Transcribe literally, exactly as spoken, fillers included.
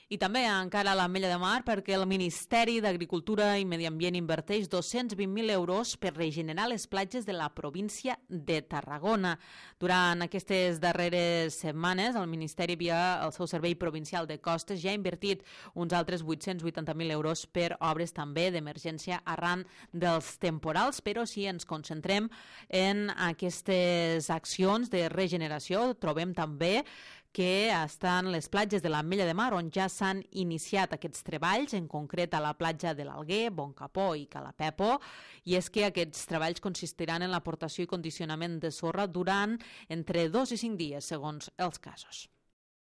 I també encara a l'Ametlla de Mar perquè el Ministeri d'Agricultura i Medi Ambient inverteix dos-cents vint mil euros per regenerar les platges de la província de Tarragona. Durant aquestes darreres setmanes, el Ministeri, via el seu Servei Provincial de Costes, ja ha invertit uns altres vuit-cents vuitanta mil euros per obres també d'emergència arran dels temporals, però si ens concentrem en aquestes accions de regeneració, trobem també que estan les platges de l'Ametlla de Mar on ja s'han iniciat aquests treballs, en concret a la platja de l'Alguer, Boncapó i Calapepo, i és que aquests treballs consistiran en l'aportació i condicionament de sorra durant entre dos i cinc dies, segons els casos.